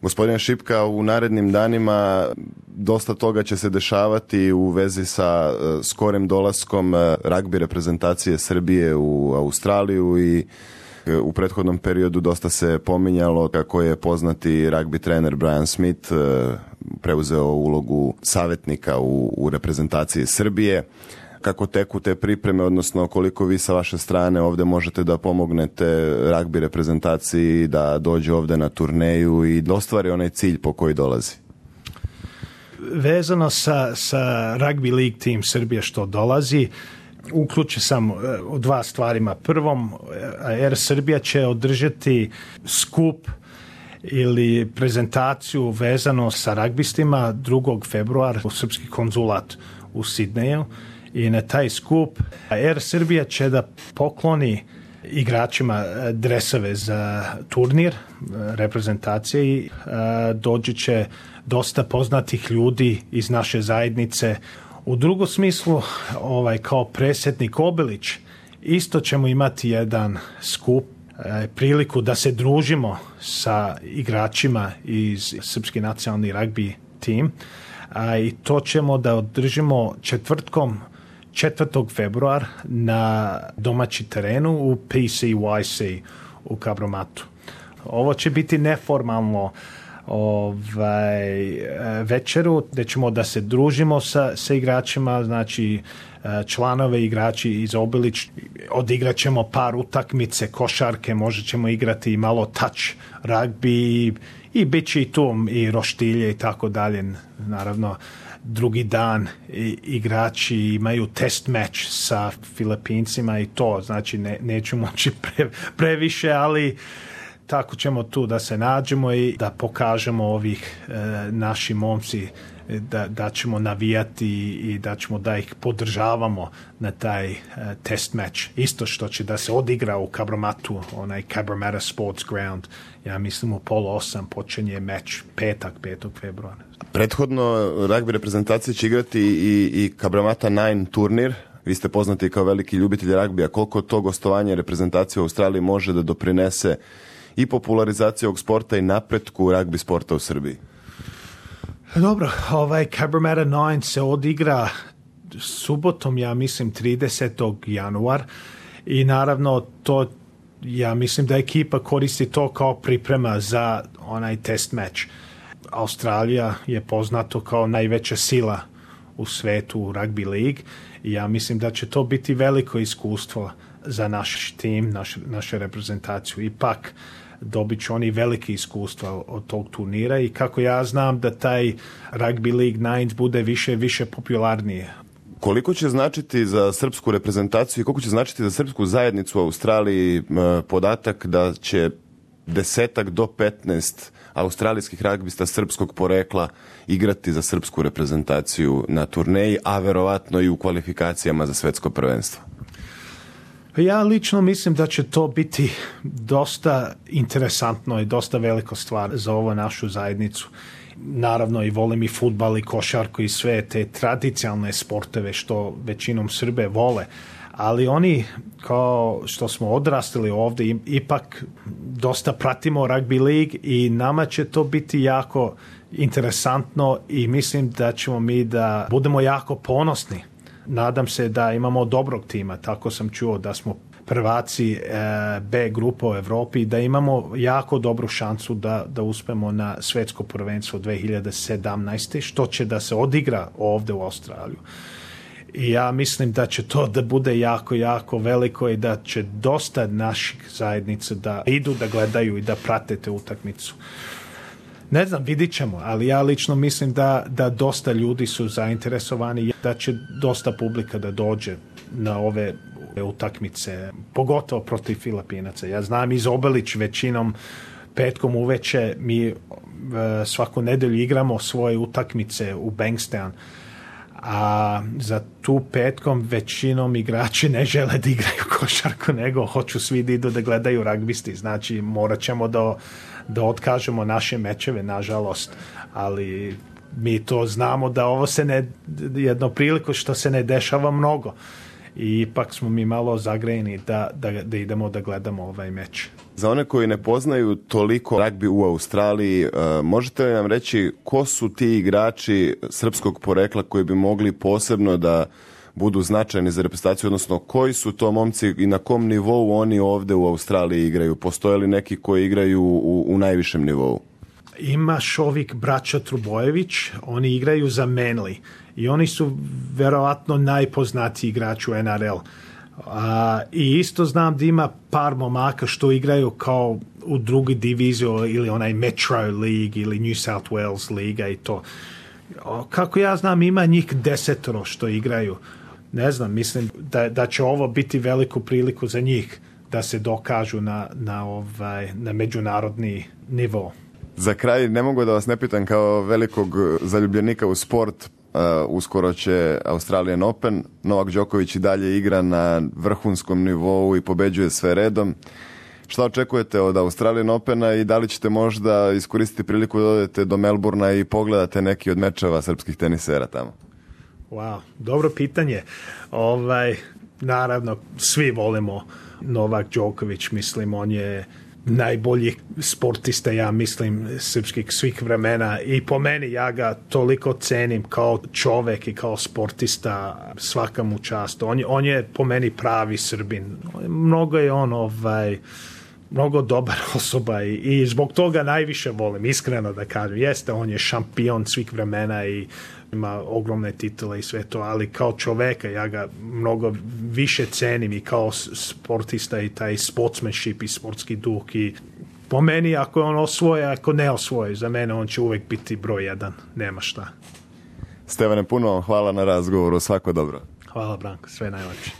Gospodine Šipka, u narednim danima dosta toga će se dešavati u vezi sa skorim dolaskom ragbi reprezentacije Srbije u Australiju i u prethodnom periodu dosta se pominjalo kako je poznati ragbi trener Brian Smith preuzeo ulogu savjetnika u reprezentaciji Srbije. Kako teku te pripreme, odnosno koliko vi sa vaše strane ovdje možete da pomognete ragbi reprezentaciji da dođe ovdje na turneju i da ostvari onaj cilj po koji dolazi? Vezano sa Rugby League Team Srbije što dolazi, uključio sam u dva stvarima. Prvom, Air Srbija će održati skup ili prezentaciju vezano sa ragbistima 2. februara u srpski konzulat u Sidneju. I na taj skup Air Srbija će da pokloni igračima dresove za turnir reprezentacije i dođe će dosta poznatih ljudi iz naše zajednice. U drugom smislu, kao predsjednik Obilić, isto ćemo imati jedan skup, priliku da se družimo sa igračima iz srpski nacionalni ragbi tim. I to ćemo da održimo četvrtkom 4. februar na domaći terenu u PCYC u Kabromatu. Ovo će biti neformalno večeru gdje ćemo da se družimo sa igračima, znači članove igrači iz Obilić, odigrat ćemo par utakmice, košarke, možda ćemo igrati i malo touch ragbi i bit će i tu i roštilje i tako dalje. Naravno, drugi dan igrači imaju test meč sa Filipincima i to, znači neću moći previše, ali tako ćemo tu da se nađemo i da pokažemo ovih naši momci da ćemo navijati i da ćemo da ih podržavamo na taj test meč. Isto što će da se odigra u Kabromatu, onaj Cabramatta Sports Ground. Ja mislim u 7:30 počinje meč, petak, 5. februara. Prethodno ragbi reprezentacije će igrati i Cabramatta 9 turnir. Vi ste poznati kao veliki ljubitelj ragbija. Koliko to gostovanje reprezentacije u Australiji može da doprinese i popularizaciju ovog sporta i napretku ragbi sporta u Srbiji? Dobro, Cabramatta 9 se odigra subotom, ja mislim 30. januar i naravno to, ja mislim da ekipa koristi to kao priprema za onaj test meč. Australija je poznato kao najveća sila u svetu u rugby league i ja mislim da će to biti veliko iskustvo za naš tim, našu reprezentaciju. Ipak dobit će oni velike iskustva od tog turnira i kako ja znam da taj Rugby League Nines bude više popularnije. Koliko će značiti za srpsku reprezentaciju i koliko će značiti za srpsku zajednicu u Australiji podatak da će 10 do 15 australijskih ragbista srpskog porekla igrati za srpsku reprezentaciju na turneji, a verovatno i u kvalifikacijama za svetsko prvenstvo? Ja lično mislim da će to biti dosta interesantno i dosta velika stvar za ovu našu zajednicu. Naravno i volim i fudbal i košarku i sve te tradicionalne sporteve što većinom Srbe vole, ali oni kao što smo odrastali ovdje ipak dosta pratimo rugby league i nama će to biti jako interesantno i mislim da ćemo mi da budemo jako ponosni. Nadam se da imamo dobrog tima, tako sam čuo da smo prvaci B grupa u Evropi i da imamo jako dobru šansu da uspemo na svetsko prvenstvo 2017. što će da se odigra ovdje u Australiju. I ja mislim da će to da bude jako veliko i da će dosta naših zajednica da idu da gledaju i da prate te utakmicu. Ne znam, vidit ćemo, ali ja lično mislim da dosta ljudi su zainteresovani, da će dosta publika da dođe na ove utakmice, pogotovo protiv Filipinaca. Ja znam iz Obilić većinom petkom uveče mi svaku nedelju igramo svoje utakmice u Bankstown, a za tu petkom većinom igrači ne žele da igraju košarku, nego hoću svi da idu da gledaju ragbisti. Znači morat ćemo da otkažemo naše mečeve, nažalost, ali mi to znamo da ovo se jedno priliku što se ne dešava mnogo. i ipak smo mi malo zagrejeni da idemo da gledamo ovaj meč. Za one koji ne poznaju toliko ragbi u Australiji, možete li nam reći ko su ti igrači srpskog porekla koji bi mogli posebno da budu značajni za reprezentaciju, odnosno koji su to momci i na kom nivou oni ovde u Australiji igraju? Postoje li neki koji igraju u najvišem nivou? Imaš ovih braća Trubojević, oni igraju za Manly i oni su verovatno najpoznatiji igrač u NRL. I isto znam da ima par momaka što igraju kao u drugi diviziju ili onaj Metro League ili New South Wales Liga i to. Kako ja znam, ima njih 10 što igraju. Ne znam, mislim da će ovo biti veliku priliku za njih da se dokažu na međunarodni nivo. Za kraj, ne mogu da vas ne pitam kao velikog zaljubljenika u sport, uskoro će Australian Open, Novak Đoković i dalje igra na vrhunskom nivou i pobeđuje sve redom. Šta očekujete od Australian Opena i da li ćete možda iskoristiti priliku da odete do Melbourna i pogledate neki od mečeva srpskih tenisera tamo? Wow, dobro pitanje. Naravno, svi volimo Novak Đoković, mislim, on je najbolji sportista, ja mislim, srpskih svih vremena i po meni ja ga toliko cenim kao čovek i kao sportista, svaka mu čast. On je po meni pravi Srbin. Mnogo je on mnogo dobar osoba i zbog toga najviše volim, iskreno da kažem. Jeste, on je šampion svih vremena i ima ogromne titule i sve to, ali kao čoveka ja ga mnogo više cenim i kao sportista i taj sportsmanship i sportski duh i po meni ako on osvoje, ako ne osvoje, za mene on će uvek biti broj 1, nema šta. Stevane, puno hvala na razgovoru, svako dobro. Hvala Branko, sve najlepše.